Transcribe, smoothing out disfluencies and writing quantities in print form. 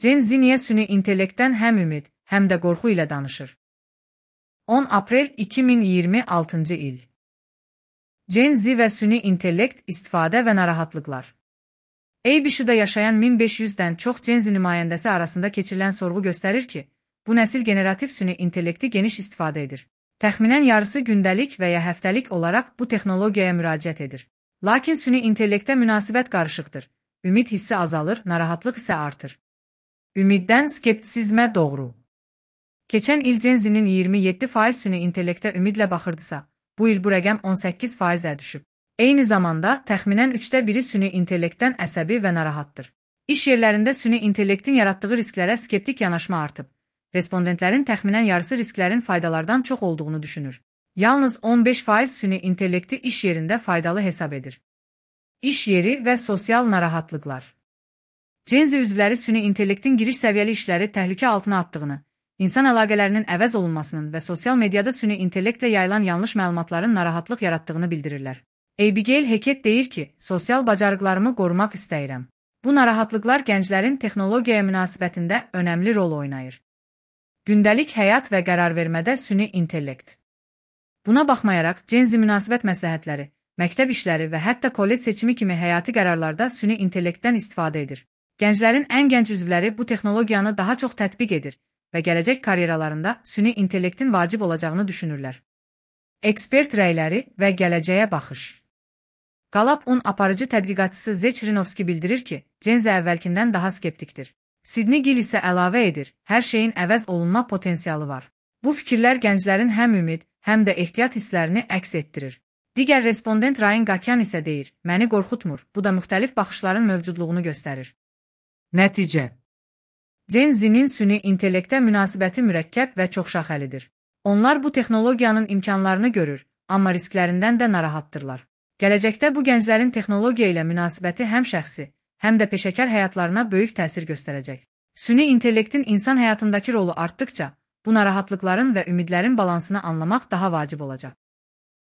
Gen Z niyə süni intellektdən həm ümid, həm də qorxu ilə danışır? 10 aprel 2026 il. Gen Z və süni intellekt istifadə və narahatlıqlar. ABC-də yaşayan 1500-dən çox Gen Z nümayəndəsi arasında keçirilən sorğu göstərir ki, bu nəsil generativ süni intellekti geniş istifadə edir. Təxminən yarısı gündəlik və ya həftəlik olaraq bu texnologiyaya müraciət edir. Lakin süni intellektə münasibət qarışıqdır. Ümid hissi azalır, narahatlıq isə artır. Ümiddən skeptisizmə doğru. Keçən il Gen Z-nin 27% süni intellektə ümidlə baxırdısa, bu il bu rəqəm 18%-ə düşüb. Eyni zamanda, təxminən 1/3 süni intellektdən əsəbi və narahatdır. İş yerlərində süni intellektin yaratdığı risklərə skeptik yanaşma artıb. Respondentlərin təxminən yarısı risklərin faydalardan çox olduğunu düşünür. Yalnız 15% süni intellekti iş yerində faydalı hesab edir. İş yeri və sosial narahatlıqlar. Gen Z üzvləri süni intellektin giriş səviyyəli işləri təhlükə altına atdığını, insan əlaqələrinin əvəz olunmasının və sosial mediada süni intellektlə yayılan yanlış məlumatların narahatlıq yaratdığını bildirirlər. Abigail Hackett deyir ki, sosial bacarıqlarımı qorumaq istəyirəm. Bu narahatlıqlar gənclərin texnologiyaya münasibətində önəmli rol oynayır. Gündəlik həyat və qərar vermədə süni intellekt. Buna baxmayaraq, Gen Z münasibət məsləhətləri, məktəb işləri və hətta kollec seçimi kimi həyati qərarlarda süni intellektdən istifadə edir. Gənclərin ən gənc üzvləri bu texnologiyanı daha çox tətbiq edir və gələcək karyeralarında süni intellektin vacib olacağını düşünürlər. Ekspert rəyləri və gələcəyə baxış. Gallup-un aparıcı tədqiqatçısı Zech Rinovski bildirir ki, Gen Z əvvəlkindən daha skeptikdir. Sidney Gill isə əlavə edir, hər şeyin əvəz olunma potensialı var. Bu fikirlər gənclərin həm ümid, həm də ehtiyat hisslərini əks etdirir. Digər respondent Ryan Gakyan isə deyir, məni qorxutmur, bu da müxtəlif baxışların mövcudluğunu göstərir. Nəticə. Gen Z-nin süni intellektə münasibəti mürəkkəb və çoxşaxəlidir. Onlar bu texnologiyanın imkanlarını görür, amma risklərindən də narahatdırlar. Gələcəkdə bu gənclərin texnologiya ilə münasibəti həm şəxsi, həm də peşəkar həyatlarına böyük təsir göstərəcək. Süni intellektin insan həyatındakı rolu artdıkca, bu narahatlıqların və ümidlərin balansını anlamaq daha vacib olacaq.